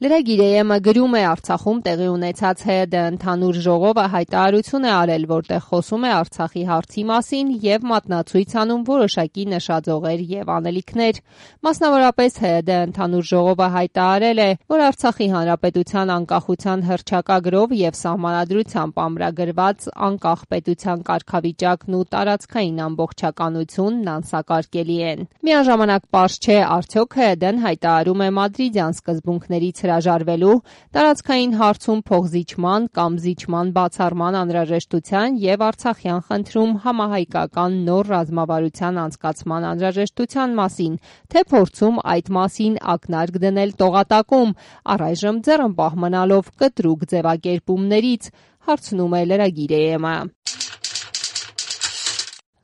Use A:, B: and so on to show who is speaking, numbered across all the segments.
A: Լրագիր EM-ը գրում է Արցախում տեղի ունեցած ՀՅԴ ընդհանուր ժողովը հայտարարություն է արել, որտեղ խոսում է Արցախի հարցի մասին եւ մատնացույց անում որոշակի նշաձողեր եւ անելիքներ։ Մասնավորապես ՀՅԴ ընդհանուր ժողովը հայտարարել է, որ Արցախի հանրապետության անկախության հռչակագրով եւ սահմանադրությամբ ամրագրված անկախ պետության կարգավիճակն ու տարածքային ամբողջականությունն անսակարկելի են։ Միաժամանակ պարզ չէ, արդյոք ՀՅԴ-ն հայտարարում է մադրիդյան սկզբունքներից հրաժարվելու, տարածքային հարցում փոխզիջման կամ զիջման բացառման անհրաժեշտության եւ Արցախյան խնդրում համահայկական նոր ռազմավարության անցկացման անհրաժեշտության մասին, թե փորձում այդ մասին ակնարկ դնել տողատակում, առայժմ ձեռնպահ մնալով կտրուկ ձևակերպումներից, հարցնում է լրագիր EM-ը։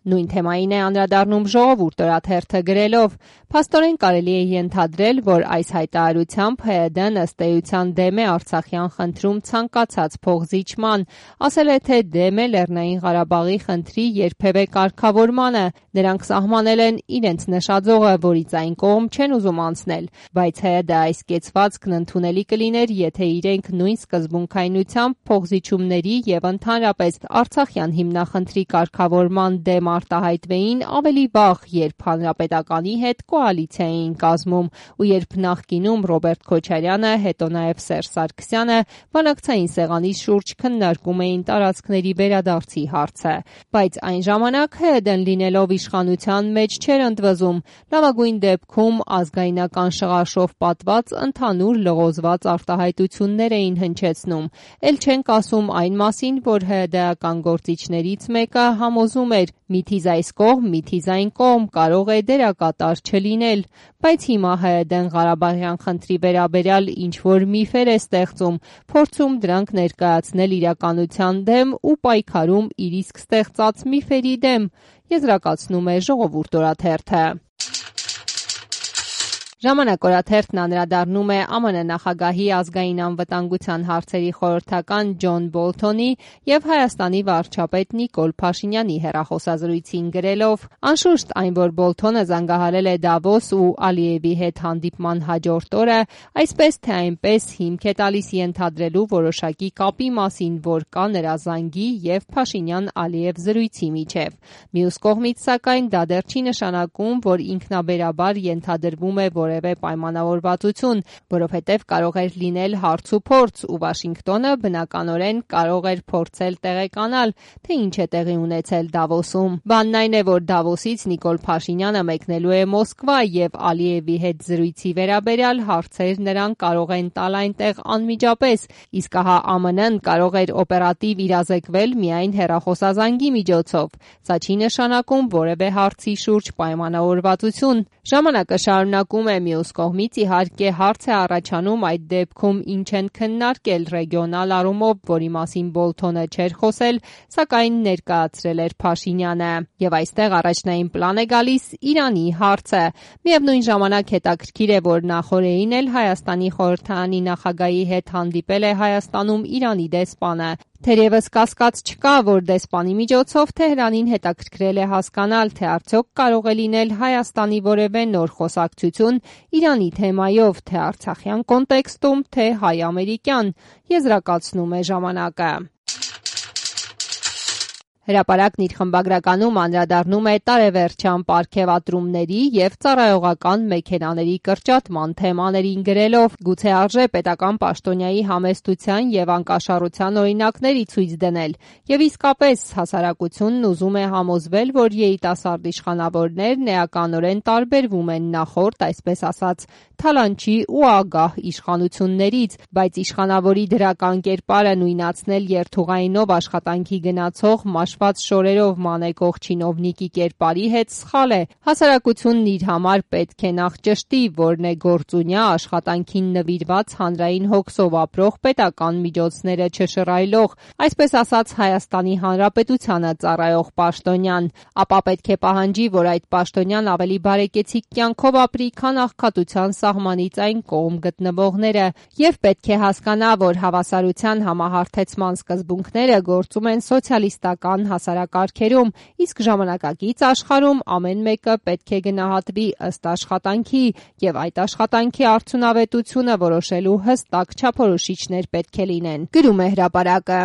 A: Նույն թեմային է անդրադառնում Ժողովուրդ օրաթերթը գրելով. «Փաստորեն կարելի է ենթադրել, որ այս հայտարարությամբ ՀՅԴ-ն ըստ էության դեմ է Արցախյան խնդրում ցանկացած փոխզիջման, ասել է, թե դեմ է Լեռնային Ղարաբաղի խնդրի երբևէ կարգավորմանը, նրանք սահմանել են իրենց նշաձողը, որից այն կողմ չեն ուզում անցնել, բայց ՀՅԴ այս կեցվածքն ընդունելի կլիներ, եթե իրենք նույն սկզբունքայնությամբ փոխզիջումների եւ ընդհանրապես Արցախյան հիմնախնդրի կարգավորման դեմ արտահայտվեին ավելի վաղ, երբ հանրապետականի հետ կոալիցիա էին կազմում ու երբ նախկինում Ռոբերտ Քոչարյանը, հետո նաև Սերժ Սարգսյանը բանակցային սեղանի շուրջ քննարկում էին տարածքների վերադարձի հարցը, բայց այն ժամանակ ՀՅԴ-ն լինելով իշխանության մեջ չէր ընդվզում, լավագույն դեպքում ազգայնական շղարշով պատված ընդհանուր լղոզված արտահայտություններ էին հնչեցնում, էլ չենք ասում այն մասին, որ ՀՅԴ-ական գործիչներից մեկը համոզում էր՝ միթիզ այս կողմ, միթիզ այն կողմ կարող է դերակատար չլինել, բայց հիմա ՀՅԴ-ն Ղարաբաղյան խնդրի վերաբերյալ ինչ-որ միֆեր է ստեղծում, փորձում դրանք ներկայացնել իրականության դեմ ու պայքարում իր իսկ ստեղծած միֆերի դեմ, եզրակացնում է Ժողովուրդ օրաթերթը։ Ժամանակ օրաթերթն անդրադառնում է ԱՄՆ նախագահի ազգային անվտանգության հարցերի խորհրդական Ջոն Բոլթոնի եւ Հայաստանի վարչապետ Նիկոլ Փաշինյանի հեռախոսազրույցին գրելով. «Անշուշտ այն, որ Բոլթոնը զանգահարել է Դավոս ու Ալիևի հետ հանդիպման հաջորդ օրը, այսպես թե այնպես հիմք է տալիս ենթադրելու որոշակի կապի մասին, որ կա նրա զանգի եւ Փաշինյան-Ալիև զրույցի միջեւ։ Մյուս կողմից, սակայն, դա դեռ չի նշանակում, որ ինքնաբերաբար ենթադրվում է որևէ պայմանավորվածություն, որովհետև կարող էր լինել հարց ու փորձ, ու Վաշինգտոնը բնականորեն կարող էր փորձել տեղեկանալ, թե ինչ է տեղի ունեցել Դավոսում։ Բանն այն է, որ Դավոսից Նիկոլ Փաշինյանը մեկնելու է Մոսկվա եւ Ալիևի հետ զրույցի վերաբերյալ հարցեր նրան կարող են տալ այնտեղ անմիջապես, իսկ ահա ԱՄՆ-ն կարող էր օպերատիվ իրազեկվել միայն հեռախոսազանգի միջոցով։ Սա չի նշանակում որևէ հարցի շուրջ պայմանավորվածություն։ Ժամանակը շարունակում է, մյուս կողմից իհարկե հարց է առաջանում այդ դեպքում ինչ են քննարկել ռեգիոնալ առումով, որի մասին Բոլթոնը չէր խոսել, սակայն ներկայացրել էր Փաշինյանը։ Եվ այստեղ առաջնային պլան է գալիս Իրանի հարցը։ Միևնույն ժամանակ հետաքրքիր է, որ նախօրեին էլ Հայաստանի խորհրդարանի նախագահի հետ հանդիպել է Հայաստանում Իրանի դեսպանը։ Թերևս կասկած չկա, որ դեսպանի միջոցով Թեհրանին հետաքրքրել է հասկանալ, թե արդյոք կարող է լինել Հայաստանի որևէ նոր խոսակցություն Իրանի թեմայով, թե արցախյան կոնտեքստում, թե հայ-ամերիկյան, եզրակացնում է ժամանակը։ Հրապարակն իր խմբագրականում անդրադառնում է տարեվերջյան պարգևատրումների եւ ծառայողական մեքենաների կրճատման թեմաներին գրելով. «Գուցե արժե պետական պաշտոնյայի համեստության եւ անկաշառության օրինակների ցույց դնել, եւ իսկապես հասարակությունն ուզում է համոզվել, որ երիտասարդ իշխանավորներն էականորեն տարբերվում են նախորդ, այսպես ասած, թալանչի ու ագահ իշխանություններից, բայց իշխանավորի դրական կերպարը նույնացնել երթուղայինով աշխատանքի գնացող մաշված շորերով մանեկող չինովնիկի կերպարի հետ սխալ է։ Հասարակությունն իր համար պետք է նախ ճշտի, որն է գործունյա աշխատանքին նվիրված հանրային հոգսով ապրող պետական միջոցները չշռայլող, այսպես ասած Հայաստանի Հանրապետությանը ծառայող պաշտոնյան, ապա պետք է պահանջի, որ այդ պաշտոնյան ավելի բարեկեցիկ կյանքով ապրի, քան աղքատության սահմանից այն կողմ գտնվողները, եւ պետք է հասկանա, որ հավասարության համահարթեցման սկզբունքները գործում են սոցիալիստական կայունության հասարակարգերում, իսկ ժամանակակից աշխարհում ամեն մեկը պետք է գնահատվի ըստ աշխատանքի, եւ այդ աշխատանքի արդյունավետությունը որոշելու հստակ չափորոշիչներ պետք է լինեն, գրում է հրապարակը։